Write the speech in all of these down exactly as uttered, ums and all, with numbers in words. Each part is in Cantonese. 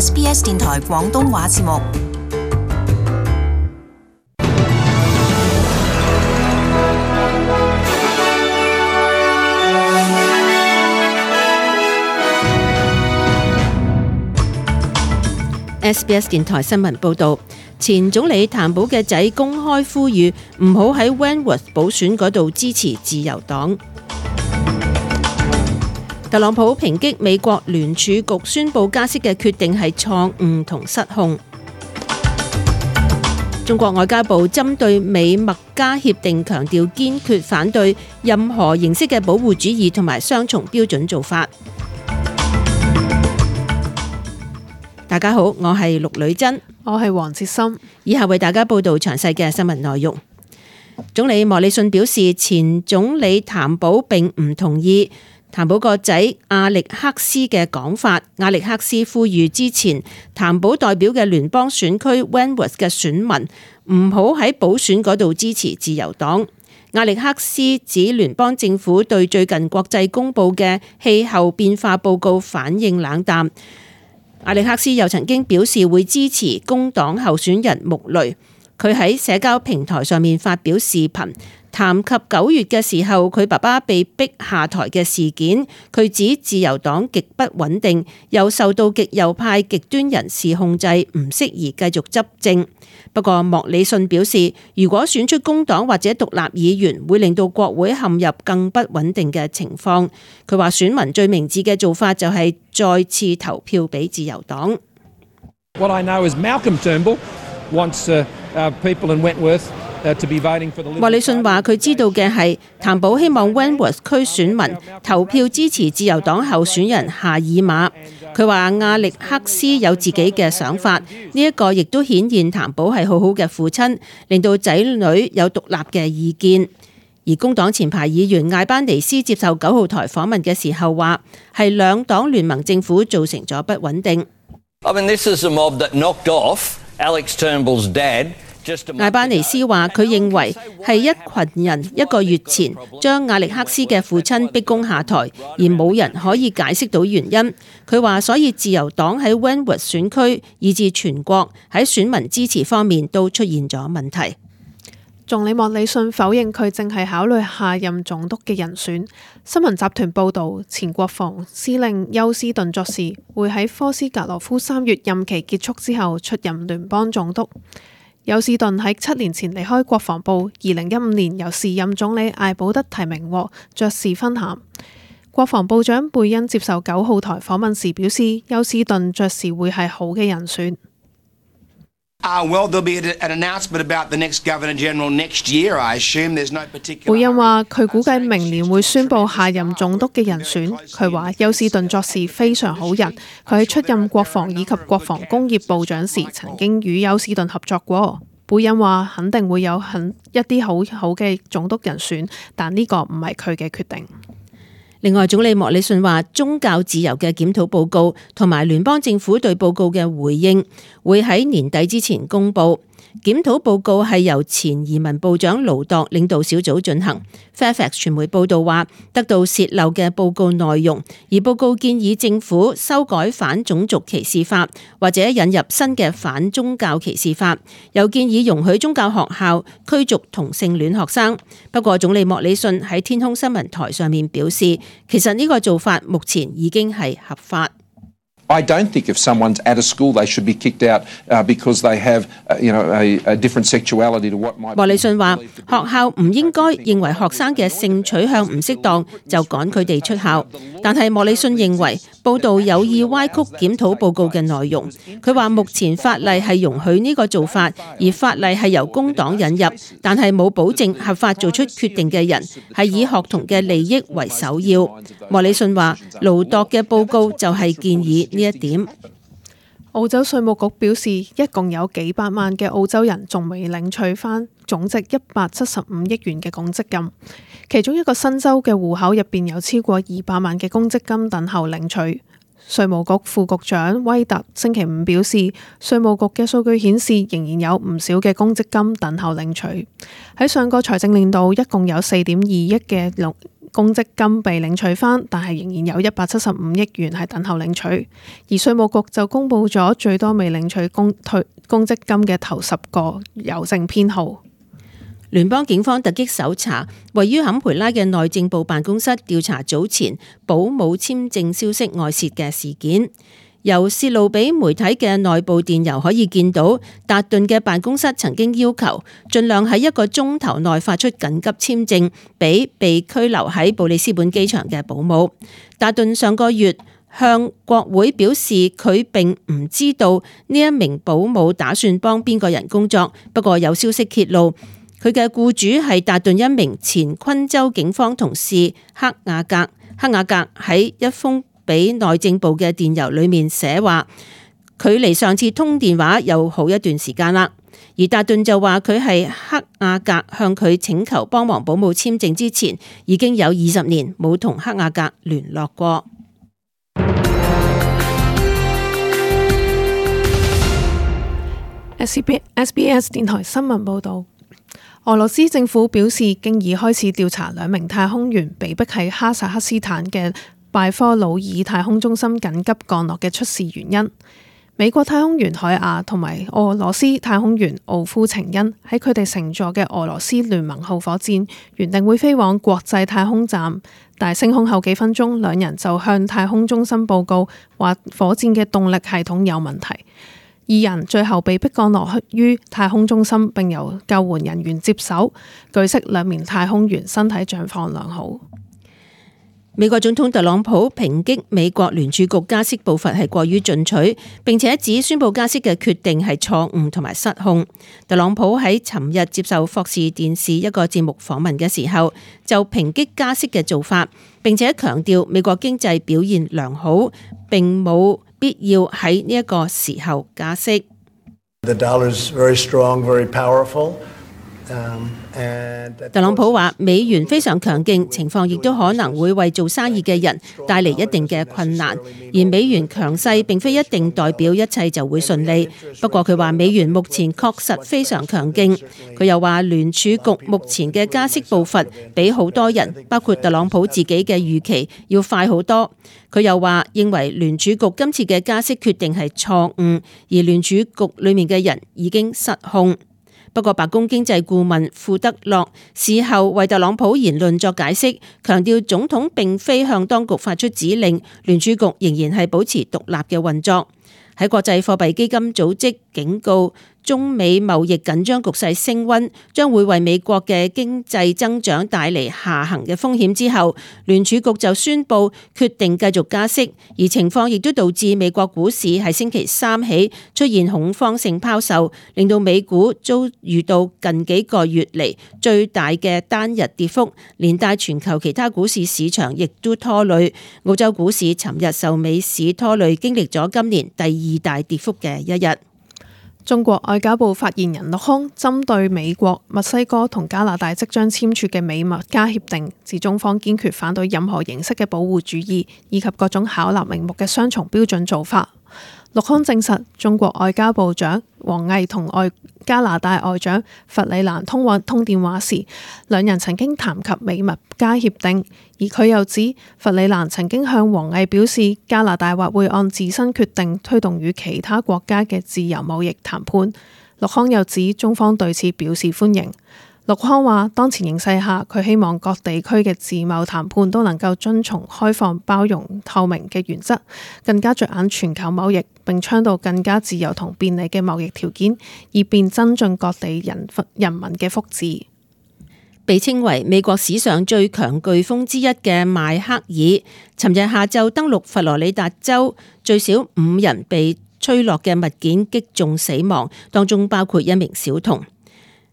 S B S 電台廣東話節目。S B S 電台新聞報導，前總理譚寶嘅仔公開呼籲唔好喺 Wentworth 補選嗰度支持自由黨。特朗普抨擊美國聯儲局宣布加息嘅決定係錯誤同失控。中國外交部針對美墨加協定強調堅決反對任何形式嘅保護主義同埋雙重標準做法。大家好，我係陸女珍，我係黃哲森，以下為大家報道詳細嘅新聞內容。總理莫里遜表示，前總理譚寶並唔同意譚寶個仔阿力克斯嘅講法。阿力克斯呼籲之前譚寶代表嘅聯邦選區 Wentworth 嘅選民唔好喺補選嗰度支持自由黨。阿力克斯指聯邦政府對最近國際公佈嘅氣候變化報告反應冷淡。阿力克斯又曾經表示會支持工黨候選人穆雷。佢喺社交平台上面發表視頻，談及九月嘅時候佢爸爸被逼下台嘅事件。佢指自由黨極不穩定，又受到極右派極端人士控制，唔適宜繼續執政。不過莫里遜表示，如果選出工黨或者獨立議員，會令到國會陷入更不穩定嘅情況。佢話選民最明智嘅做法就係再次投票俾自由黨。What I know is Malcolm Turnbull wants uh, uh, people in Wentworth uh, to be voting for the Liberal Party. 莫里遜話佢知道嘅係譚寶希望 Wentworth 區選民投票支持自由黨候選人夏爾馬。佢話阿力克斯有自己嘅想法，呢一個亦都顯現譚寶係好好嘅父親，令到仔女有獨立嘅意見。而工黨前排議員艾班尼斯接受九號台訪問嘅時候話，係兩黨聯盟政府造成咗不穩定。I mean, this is a mob that knocked off Alex Turnbull's dad. 艾班尼斯話佢認為係一群人一個月前將阿力克斯嘅父親逼宮下台，而冇人可以解釋到原因。佢話所以自由黨喺 Wentworth 選區以至全國喺選民支持方面都出現咗問題。總理莫里遜否認佢正係考慮下任總督嘅人選。新聞集團報導，前國防司令休斯頓爵士會喺科斯格羅夫三月任期結束之後出任聯邦總督。休斯頓喺七年前離開國防部，二零一五年由時任總理艾保德提名獲爵士勳銜。國防部長貝恩接受九號台訪問時表示，休斯頓爵士會係好嘅人選。Uh, well, there'll be an announcement about the next Governor General next year. I assume there's no particular. 貝恩話佢估計明年會宣布下任總督嘅人選。佢話休斯頓爵士非常好人，佢喺出任國防以及國防工業部長時曾經與休斯頓合作過。貝恩話肯定會有很一啲好好嘅總督人選，但呢個唔係佢嘅決定。另外，總理莫里遜話宗教自由嘅檢討報告同埋聯邦政府對報告嘅回應會喺年底之前公佈。檢討報告係由前移民部長盧度領導小組進行。Fairfax 傳媒報導話，得到洩漏嘅報告內容，而報告建議政府修改反種族歧視法，或者引入新嘅反宗教歧視法，又建議容許宗教學校驅逐同性戀學生。不過，總理莫里遜喺天空新聞台上面表示，其實呢個做法目前已經係合法。I don't think if someone's at a school they should be kicked out uh, because they have uh, you know a, a different sexuality to what might. 莫里遜話學校唔應該認為學生嘅性取向唔適當就趕佢哋出校，但係莫里遜認為報道有意歪曲檢討報告嘅內容。佢話目前法例係容許呢個做法，而法例係由工黨引入，但係冇保證合法做出決定嘅人係以學童嘅利益為首要。莫里遜話盧度嘅報告就係建議呢一點。澳洲稅務局表示，一共有幾百萬嘅澳洲人仲未領取返總值一百七十五億元嘅公積金，其中一個新州嘅戶口入邊有超過二百萬嘅公積金等候領取。稅務局副局長威特星期五表示，稅務局嘅數據顯示仍然有唔少嘅公積金等候領取。喺上個財政年度，一共有四點二億嘅公積金被領取返，但係仍然有一百七十五億元係等候領取。而稅務局就公布咗最多未領取公退公積金嘅頭十個郵政編號。聯邦警方突擊搜查位於坎培拉嘅內政部辦公室，調查早前保姆簽證消息外泄嘅事件。由泄露俾媒體嘅內部電郵可以見到，達頓嘅辦公室曾經要求盡量喺一個鐘頭內發出緊急簽證俾被拘留喺布里斯本機場嘅保姆。達頓上個月向國會表示，佢並唔知道呢一名保姆打算幫邊個人工作，不過有消息揭露，佢嘅僱主係達頓一名前昆州警方同事克亞格。克亞格喺一封俾內政部嘅電郵裏面寫話，距離上次通電話有好一段時間啦。而達頓就話佢係克亞格向佢請求幫忙保姆簽證之前，已經有二十年冇同克亞格聯絡過。S B S 電台新聞報導。俄羅斯政府表示，經已開始調查兩名太空員被逼喺哈薩克斯坦嘅拜科魯爾太空中心緊急降落嘅出事原因。美國太空員海亞同埋俄羅斯太空員奧夫程恩喺佢哋乘坐嘅俄羅斯聯盟號火箭原定會飛往國際太空站，但升空後幾分鐘，兩人就向太空中心報告話火箭嘅動力系統有問題。二人最後被迫降落於太空中心，並由救援人員接手。據悉，兩名太空員身體狀況良好。美國總統特朗普抨擊美國聯儲局加息步伐係過於進取，並且指宣布加息嘅決定係錯誤同埋失控。特朗普喺尋日接受霍士電視一個節目訪問嘅時候，就抨擊加息嘅做法，並且強調美國經濟表現良好，並冇必要喺呢一個時候加息。The dollar is very strong, very powerful. Um, 特朗普話美元非常強勁，情況亦都可能會為做生意嘅人帶嚟一定嘅困難，而美元強勢並非一定代表一切就會順利。不過佢話美元目前確實非常強勁。佢又話聯儲局目前嘅加息步伐比好多人，包括特朗普自己嘅預期要快好多。佢又話認為聯儲局今次嘅加息決定係錯誤，而聯儲局裏面嘅人已經失控。不過白宮經濟顧問庫德洛事後為特朗普言論作解釋，強調總統並非向當局發出指令，聯儲局仍然係保持獨立嘅運作。喺國際貨幣基金組織警告中美貿易緊張局勢升溫，將會為美國嘅經濟增長帶嚟下行嘅風險之後，聯儲局就宣布決定繼續加息，而情況亦都導致美國股市喺星期三起出現恐慌性拋售，令到美股遭遇到近幾個月嚟最大嘅單日跌幅，連帶全球其他股市市場亦都拖累。澳洲股市尋日受美市拖累，經歷咗今年第二大跌幅嘅一日。中國外交部發言人陸康針對美國、墨西哥同加拿大即將簽署嘅美墨加協定，指中方堅決反對任何形式嘅保護主義以及各種巧立名目嘅雙重標準做法。陸康證實，中國外交部長王毅同外加拿大外長弗里蘭通話通電話時，兩人曾經談及美墨加協定，而佢又指弗里蘭曾經向王毅表示，加拿大或會按自身決定推動與其他國家嘅自由貿易談判。陸康又指中方對此表示歡迎。陸康話，當前形勢下，佢希望各地區嘅自貿談判都能夠遵從開放、包容、透明嘅原則，更加着眼全球貿易，並倡導更加自由同便利嘅貿易條件，以便增進各地人人民嘅福祉。被稱為美國史上最強颶風之一嘅邁克爾，尋日下晝登陸佛羅里達州，最少五人被吹落嘅物件擊中死亡，當中包括一名小童。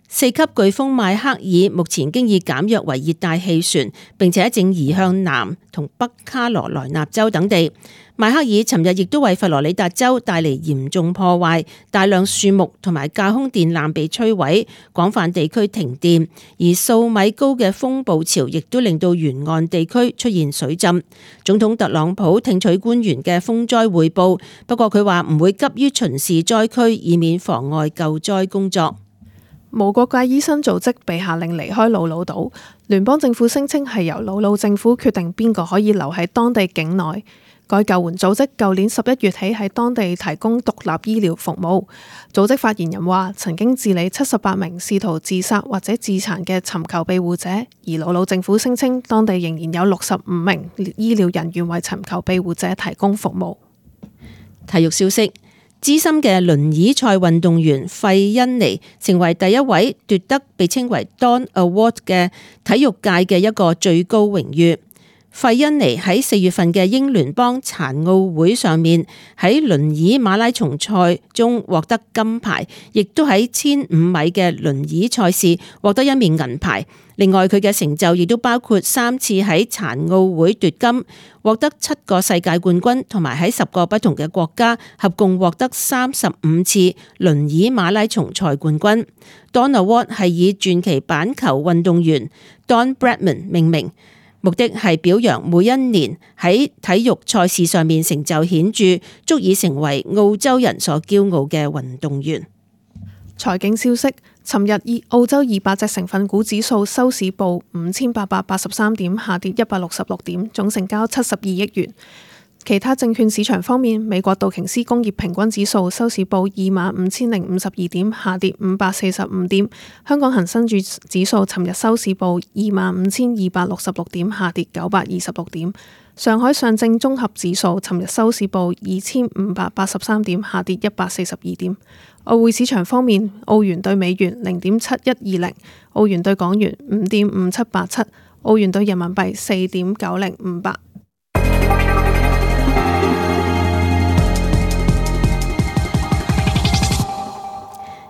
四級颶風邁克爾目前經已減弱為熱帶氣旋，並且正移向南同北卡羅來納州等地。邁克爾尋日亦都為佛羅里達州帶嚟嚴重破壞，大量樹木同埋架空電纜被摧毀，廣泛地區停電，而數米高嘅風暴潮亦都令到沿岸地區出現水浸。總統特朗普聽取官員嘅風災匯報，不過佢話唔會急於巡視災區，以免妨礙救災工作。無國界醫生組織被下令離開魯魯島，聯邦政府聲稱係由魯魯政府決定邊個可以留喺當地境內。該救援組織舊年十一月起喺當地提供獨立醫療服務。組織發言人話，曾經治理七十八名試圖自殺或者自殘嘅尋求庇護者，而魯魯政府聲稱當地仍然有六十五名醫療人員為尋求庇護者提供服務。體育消息，資深嘅輪椅賽運動員費恩尼成為第一位奪得被稱為 Dawn Award 嘅體育界嘅一個最高榮譽。費恩尼喺四月份嘅英聯邦殘奧會上面喺輪椅馬拉松賽中獲得金牌，亦都喺千五米嘅輪椅賽事獲得一面銀牌。另外佢嘅成就亦都包括三次喺殘奧會奪金，獲得七個世界冠軍，同埋喺十個不同嘅國家合共獲得三十五次輪椅馬拉松賽冠軍。Dawn Award 係以傳奇板球運動員 Don Bradman 命名，目的係表揚每一年喺體育賽事上面成就顯著，足以成為澳洲人所驕傲嘅運動員。財經消息，尋日以澳洲二百隻成分股指數收市報五千八百八十三點，下跌一百六十六點，總成交七十二億元。其他證券市場方面，美國道瓊斯工業平均指數收市報二萬五千零五十二點，下跌五百四十五點。香港恒生指數尋日收市報二萬五千二百六十六點，下跌九百二十六點。上海上證綜合指數尋日收市報二千五百八十三點，下跌一百四十二點。外匯市場方面，澳元對美元零點七一二零，澳元對港元五點五七八七，澳元對人民幣四點九零五八。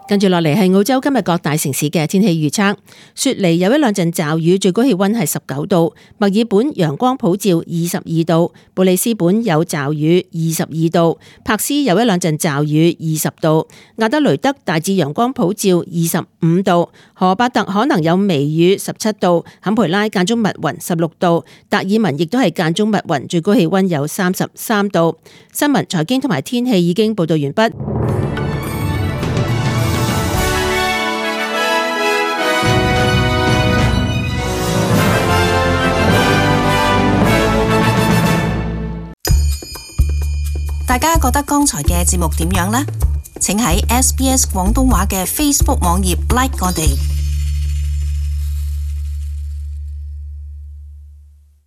跟住落嚟係澳洲今日各大城市嘅天氣預測。雪梨有一兩陣驟雨，最高氣溫係十九度；墨爾本陽光普照，二十二度；布里斯本有驟雨，二十二度；柏斯有一兩陣驟雨，二十度；亞德雷德大致陽光普照，二十五度；荷伯特可能有微雨，十七度；坎培拉間中密雲，十六度；達爾文亦都係間中密雲，最高氣溫有三十三度。新聞、財經同埋天氣已經報道完畢。大家覺得剛才嘅節目點樣呢？請喺 S B S 廣東話嘅 Facebook 網頁 like 我哋。